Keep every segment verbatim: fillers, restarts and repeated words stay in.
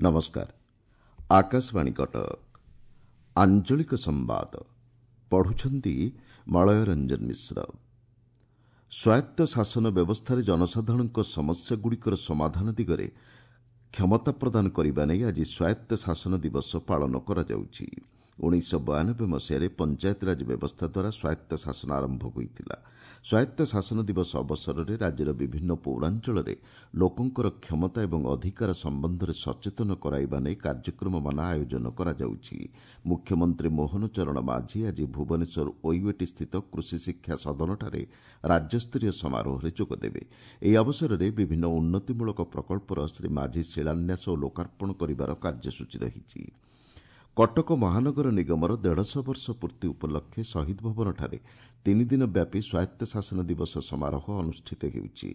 ନମସ୍କାର ଆକାଶବାଣୀ କଟକ ଆଞ୍ଚଳିକ ସମ୍ବାଦ ପଢୁଛନ୍ତି ମଳୟ ରଞ୍ଜନ ମିଶ୍ର ସ୍ୱାୟତ୍ତ ଶାସନ ବ୍ୟବସ୍ଥାରେ ଜନସାଧାରଣଙ୍କ ସମସ୍ୟାଗୁଡ଼ିକର ସମାଧାନ ଦିଗରେ କ୍ଷମତା ପ୍ରଦାନ କରିବା ନେଇ ଆଜି ସ୍ୱାୟତ୍ତ ଶାସନ ଦିବସ ପାଳନ କରାଯାଉଛି ଉଣେଇଶହ ବୟାନବେ ମସିହାରେ ପଞ୍ଚାୟତିରାଜ ବ୍ୟବସ୍ଥା ଦ୍ୱାରା ସ୍ୱାୟତ୍ତ ଶାସନ ଆରମ୍ଭ ହୋଇଥିଲା ସ୍ୱାୟତ୍ତ ଶାସନ ଦିବସ ଅବସରରେ ରାଜ୍ୟର ବିଭିନ୍ନ ପୌରାଞ୍ଚଳରେ ଲୋକଙ୍କର କ୍ଷମତା ଏବଂ ଅଧିକାର ସମ୍ବନ୍ଧରେ ସଚେତନ କରାଇବା ନେଇ କାର୍ଯ୍ୟକ୍ରମମାନ ଆୟୋଜନ କରାଯାଉଛି ମୁଖ୍ୟମନ୍ତ୍ରୀ ମୋହନ ଚରଣ ମାଝୀ ଆଜି ଭୁବନେଶ୍ୱର ଓୟୁଏଟି ସ୍ଥିତ କୃଷି ଶିକ୍ଷା ସଦନଠାରେ ରାଜ୍ୟସ୍ତରୀୟ ସମାରୋହରେ ଯୋଗଦେବେ ଏହି ଅବସରରେ ବିଭିନ୍ନ ଉନ୍ନତିମୂଳକ ପ୍ରକଳ୍ପର ଶ୍ରୀ ମାଝୀ ଶିଳାନ୍ୟାସ ଓ ଲୋକାର୍ପଣ କରିବାର କାର୍ଯ୍ୟସୂଚୀ ରହିଛି କଟକ ମହାନଗର ନିଗମର ଦେଢ଼ଶହ ବର୍ଷ ପୂର୍ତ୍ତି ଉପଲକ୍ଷେ ଶହୀଦ ଭବନଠାରେ ତିନିଦିନ ବ୍ୟାପୀ ସ୍ୱାୟତ୍ତ ଶାସନ ଦିବସ ସମାରୋହ ଅନୁଷ୍ଠିତ ହେଉଛି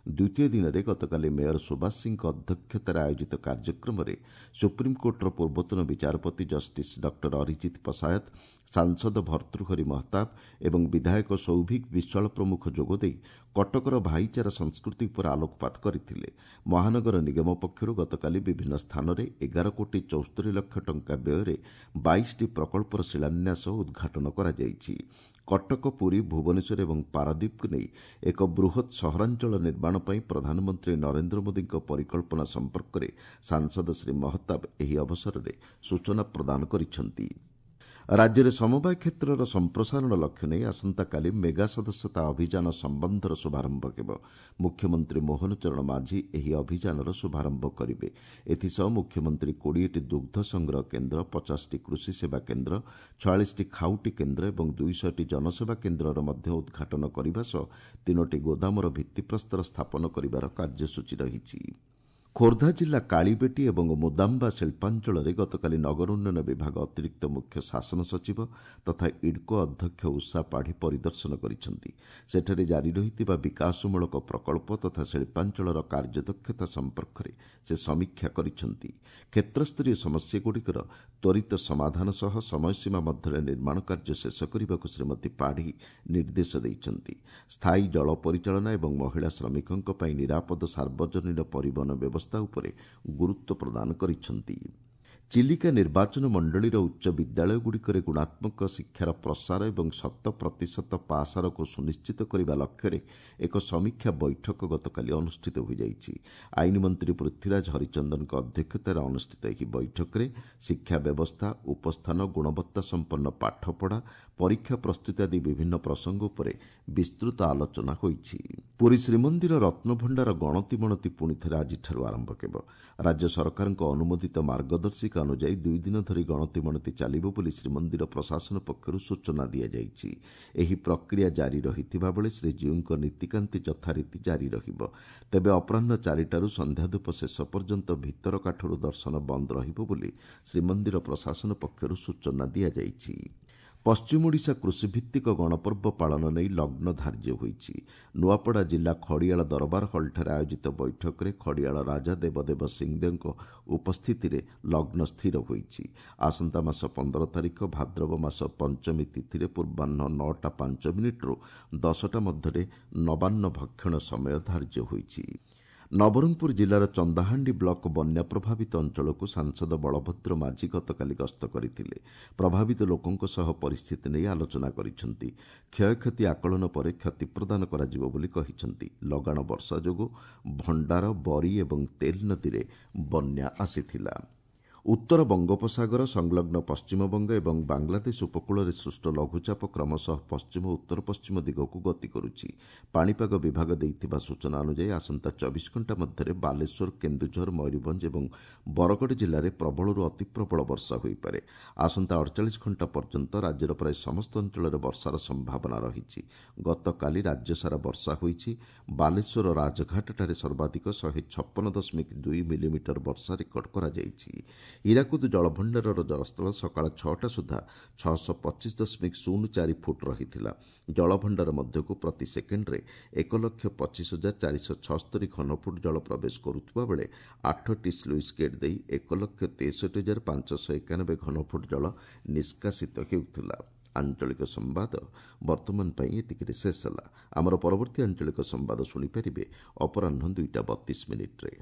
ଦ୍ୱିତୀୟ ଦିନରେ ଗତକାଲି ମେୟର ସୁବାସ ସିଂଙ୍କ ଅଧ୍ୟକ୍ଷତାରେ ଆୟୋଜିତ କାର୍ଯ୍ୟକ୍ରମରେ ସୁପ୍ରିମକୋର୍ଟର ପୂର୍ବତନ ବିଚାରପତି ଜଷ୍ଟିସ୍ ଡକ୍ଟର ଅରିଜିତ ପଶାୟତ ସାଂସଦ ଭର୍ତ୍ତୃହରି ମହତାବ ଏବଂ ବିଧାୟକ ସୌଭିକ ବିଶ୍ୱାଳ ପ୍ରମୁଖ ଯୋଗଦେଇ କଟକର ଭାଇଚାରା ସଂସ୍କୃତି ଉପରେ ଆଲୋକପାତ କରିଥିଲେ ମହାନଗର ନିଗମ ପକ୍ଷରୁ ଗତକାଲି ବିଭିନ୍ନ ସ୍ଥାନରେ ଏଗାର କୋଟି ଚଉସ୍ତରୀ ଲକ୍ଷ ଟଙ୍କା ବ୍ୟୟରେ ବାଇଶଟି ପ୍ରକଳ୍ପର ଶିଳାନ୍ୟାସ ଓ ଉଦ୍ଘାଟନ କରାଯାଇଛି କଟକ ପୁରୀ ଭୁବନେଶ୍ୱର ଏବଂ ପାରାଦୀପକୁ ନେଇ ଏକ ବୃହତ୍ ସହରାଞ୍ଚଳ ନିର୍ମାଣ ପାଇଁ ପ୍ରଧାନମନ୍ତ୍ରୀ ନରେନ୍ଦ୍ର ମୋଦିଙ୍କ ପରିକଳ୍ପନା ସମ୍ପର୍କରେ ସାଂସଦ ଶ୍ରୀ ମହତାବ ଏହି ଅବସରରେ ସୂଚନା ପ୍ରଦାନ କରିଛନ୍ତି ରାଜ୍ୟରେ ସମବାୟ କ୍ଷେତ୍ରର ସମ୍ପ୍ରସାରଣ ଲକ୍ଷ୍ୟ ନେଇ ଆସନ୍ତାକାଲି ମେଗା ସଦସ୍ୟତା ଅଭିଯାନ ସମ୍ବନ୍ଧର ଶୁଭାରମ୍ଭ ହେବ ମୁଖ୍ୟମନ୍ତ୍ରୀ ମୋହନ ଚରଣ ମାଝୀ ଏହି ଅଭିଯାନର ଶୁଭାରମ୍ଭ କରିବେ ଏଥିସହ ମୁଖ୍ୟମନ୍ତ୍ରୀ କୋଡ଼ିଏଟି ଦୁଗ୍ଧ ସଂଗ୍ରହ କେନ୍ଦ୍ର ପଚାଶଟି କୃଷି ସେବା କେନ୍ଦ୍ର ଛୟାଳିଶଟି ଖାଉଟି କେନ୍ଦ୍ର ଏବଂ ଦୁଇଶହଟି ଜନସେବା କେନ୍ଦ୍ରର ମଧ୍ୟ ଉଦ୍ଘାଟନ କରିବା ସହ ତିନୋଟି ଗୋଦାମର ଭିତ୍ତିପ୍ରସ୍ତର ସ୍ଥାପନ କରିବାର କାର୍ଯ୍ୟସୂଚୀ ରହିଛି ଖୋର୍ଦ୍ଧା ଜିଲ୍ଲା କାଳିବେଟି ଏବଂ ମୁଦାମ୍ବା ଶିଳ୍ପାଞ୍ଚଳରେ ଗତକାଲି ନଗର ଉନ୍ନୟନ ବିଭାଗ ଅତିରିକ୍ତ ମୁଖ୍ୟ ଶାସନ ସଚିବ ତଥା ଇଡ୍କୋ ଅଧ୍ୟକ୍ଷ ଉଷା ପାଢ଼ୀ ପରିଦର୍ଶନ କରିଛନ୍ତି ସେଠାରେ ଜାରି ରହିଥିବା ବିକାଶମୂଳକ ପ୍ରକଳ୍ପ ତଥା ଶିଳ୍ପାଞ୍ଚଳର କାର୍ଯ୍ୟଦକ୍ଷତା ସମ୍ପର୍କରେ ସେ ସମୀକ୍ଷା କରିଛନ୍ତି କ୍ଷେତ୍ରସ୍ତରୀୟ ସମସ୍ୟାଗୁଡ଼ିକର ତ୍ୱରିତ ସମାଧାନ ସହ ସମୟସୀମା ମଧ୍ୟରେ ନିର୍ମାଣ କାର୍ଯ୍ୟ ଶେଷ କରିବାକୁ ଶ୍ରୀମତୀ ପାଢ଼ୀ ନିର୍ଦ୍ଦେଶ ଦେଇଛନ୍ତି ସ୍ଥାୟୀ ଜଳ ପରିଚାଳନା ଏବଂ ମହିଳା ଶ୍ରମିକଙ୍କ ପାଇଁ ନିରାପଦ ସାର୍ବଜନୀନ ପରିବହନ ବ୍ୟବସ୍ଥା ଉପରେ ଗୁରୁତ୍ୱ ପ୍ରଦାନ କରିଛନ୍ତି ଚିଲିକା ନିର୍ବାଚନ ମଣ୍ଡଳୀର ଉଚ୍ଚ ବିଦ୍ୟାଳୟଗୁଡ଼ିକରେ ଗୁଣାତ୍ମକ ଶିକ୍ଷାର ପ୍ରସାର ଏବଂ ଶତ ପ୍ରତିଶତ ପାସ୍ ହାରକୁ ସୁନିଶ୍ଚିତ କରିବା ଲକ୍ଷ୍ୟରେ ଏକ ସମୀକ୍ଷା ବୈଠକ ଗତକାଲି ଅନୁଷ୍ଠିତ ହୋଇଯାଇଛି ଆଇନ ମନ୍ତ୍ରୀ ପୃଥ୍ୱୀରାଜ ହରିଚନ୍ଦନଙ୍କ ଅଧ୍ୟକ୍ଷତାରେ ଅନୁଷ୍ଠିତ ଏହି ବୈଠକରେ ଶିକ୍ଷା ବ୍ୟବସ୍ଥା ଉପସ୍ଥାନ ଗୁଣବତ୍ତା ସମ୍ପନ୍ନ ପାଠପଢ଼ା ପରୀକ୍ଷା ପ୍ରସ୍ତୁତି ଆଦି ବିଭିନ୍ନ ପ୍ରସଙ୍ଗ ଉପରେ ବିସ୍ତୃତ ଆଲୋଚନା ହୋଇଛି ପୁରୀ ଶ୍ରୀମନ୍ଦିର ରତ୍ନଭଣ୍ଡାର ଗଣତି ମଣତି ପୁଣିଥରେ ଆଜିଠାରୁ ଆରମ୍ଭ ହେବ ରାଜ୍ୟ ସରକାରଙ୍କ ଅନୁମୋଦିତ ମାର୍ଗଦର୍ଶିକା ଅନୁଯାୟୀ ଦୁଇ ଦିନ ଧରି ଗଣତି ମଣତି ଚାଲିବ ବୋଲି ଶ୍ରୀମନ୍ଦିର ପ୍ରଶାସନ ପକ୍ଷରୁ ସୂଚନା ଦିଆଯାଇଛି ଏହି ପ୍ରକ୍ରିୟା ଜାରି ରହିଥିବା ବେଳେ ଶ୍ରୀଜୀଉଙ୍କ ନୀତିକାନ୍ତି ଯଥାରୀତି ଜାରି ରହିବ ତେବେ ଅପରାହ୍ନ ଚାରିଟାରୁ ସନ୍ଧ୍ୟାଧୂପ ଶେଷ ପର୍ଯ୍ୟନ୍ତ ଭିତର କାଠରୁ ଦର୍ଶନ ବନ୍ଦ ରହିବ ବୋଲି ଶ୍ରୀମନ୍ଦିର ପ୍ରଶାସନ ପକ୍ଷରୁ ସୂଚନା ଦିଆଯାଇଛି ପଶ୍ଚିମ ଓଡ଼ିଶା କୃଷିଭିତ୍ତିକ ଗଣପର୍ବ ପାଳନ ନେଇ ଲଗ୍ନ ଧାର୍ଯ୍ୟ ହୋଇଛି ନୂଆପଡ଼ା ଜିଲ୍ଲା ଖଡ଼ିଆଳ ଦରବାର ହଲ୍ଠାରେ ଆୟୋଜିତ ବୈଠକରେ ଖଡ଼ିଆଳ ରାଜା ଦେବଦେବ ସିଂଦେଓଙ୍କ ଉପସ୍ଥିତିରେ ଲଗ୍ନ ସ୍ଥିର ହୋଇଛି ଆସନ୍ତା ମାସ ପନ୍ଦର ତାରିଖ ଭାଦ୍ରବ ମାସ ପଞ୍ଚମୀ ତିଥିରେ ପୂର୍ବାହ୍ନ ନଅଟା ପାଞ୍ଚ ମିନିଟ୍ରୁ ଦଶଟା ମଧ୍ୟରେ ନବାନ୍ନ ଭକ୍ଷଣ ସମୟ ଧାର୍ଯ୍ୟ ହୋଇଛି ନବରଙ୍ଗପୁର ଜିଲ୍ଲାର ଚନ୍ଦାହାଣ୍ଡି ବ୍ଲକ ବନ୍ୟା ପ୍ରଭାବିତ ଅଞ୍ଚଳକୁ ସାଂସଦ ବଳଭଦ୍ର ମାଝୀ ଗତକାଲି ଗସ୍ତ କରିଥିଲେ ପ୍ରଭାବିତ ଲୋକଙ୍କ ସହ ପରିସ୍ଥିତି ନେଇ ଆଲୋଚନା କରିଛନ୍ତି କ୍ଷୟକ୍ଷତି ଆକଳନ ପରେ କ୍ଷତିପ୍ରଦାନ କରାଯିବ ବୋଲି କହିଛନ୍ତି ଲଗାଣ ବର୍ଷା ଯୋଗୁଁ ଭଣ୍ଡାର ବରି ଏବଂ ତେଲ ନଦୀରେ ବନ୍ୟା ଆସିଥିଲା ଉତ୍ତର ବଙ୍ଗୋପସାଗର ସଂଲଗ୍ନ ପଶ୍ଚିମବଙ୍ଗ ଏବଂ ବାଂଲାଦେଶ ଉପକୂଳରେ ସୃଷ୍ଟ ଲଘୁଚାପ କ୍ରମଶଃ ପଶ୍ଚିମ ଉତ୍ତର ପଶ୍ଚିମ ଦିଗକୁ ଗତି କରୁଛି ପାଣିପାଗ ବିଭାଗ ଦେଇଥିବା ସୂଚନା ଅନୁଯାୟୀ ଆସନ୍ତା ଚବିଶ ଘଣ୍ଟା ମଧ୍ୟରେ ବାଲେଶ୍ୱର କେନ୍ଦୁଝର ମୟୂରଭଞ୍ଜ ଏବଂ ବରଗଡ଼ ଜିଲ୍ଲାରେ ପ୍ରବଳରୁ ଅତିପ୍ରବଳ ବର୍ଷା ହୋଇପାରେ ଆସନ୍ତା ଅଡ଼ଚାଳିଶ ଘଣ୍ଟା ପର୍ଯ୍ୟନ୍ତ ରାଜ୍ୟର ପ୍ରାୟ ସମସ୍ତ ଅଞ୍ଚଳରେ ବର୍ଷାର ସମ୍ଭାବନା ରହିଛି ଗତକାଲି ରାଜ୍ୟସାରା ବର୍ଷା ହୋଇଛି ବାଲେଶ୍ୱର ରାଜଘାଟଠାରେ ସର୍ବାଧିକ ଶହେ ଛପନ ଦଶମିକ ଦୁଇ ମିଲିମିଟର ବର୍ଷା ରେକର୍ଡ କରାଯାଇଛି ହୀରାକୁଦ ଜଳଭଣ୍ଡାରର ଜଳସ୍ତର ସକାଳ ଛଅଟା ସୁଦ୍ଧା ଛଅଶହ ପଚିଶ ଦଶମିକ ଶୂନ ଚାରି ଫୁଟ ରହିଥିଲା ଜଳଭଣ୍ଡାର ମଧ୍ୟକୁ ପ୍ରତି ସେକେଣ୍ଡରେ ଏକ ଲକ୍ଷ ପଚିଶ ହଜାର ଚାରିଶହ ଛଅସ୍ତରୀ ଘନଫୁଟ ଜଳ ପ୍ରବେଶ କରୁଥିବା ବେଳେ ଆଠଟି ସ୍ଲୁଇସ୍ ଗେଟ୍ ଦେଇ ଏକ ଲକ୍ଷ ତେଷଠି ହଜାର ପାଞ୍ଚଶହ ଏକାନବେ ଘନଫୁଟ ଜଳ ନିଷ୍କାସିତ ହେଉଥିଲା ଆଞ୍ଚଳିକ ସମ୍ବାଦ ବର୍ତ୍ତମାନ ପାଇଁ ଏତିକିରେ ଶେଷ ହେଲା ଆମର ପରବର୍ତ୍ତୀ ଆଞ୍ଚଳିକ ସମ୍ବାଦ ଶୁଣିପାରିବେ ଅପରାହ୍ନ ଦୁଇଟା ବତିଶ ମିନିଟ୍ରେ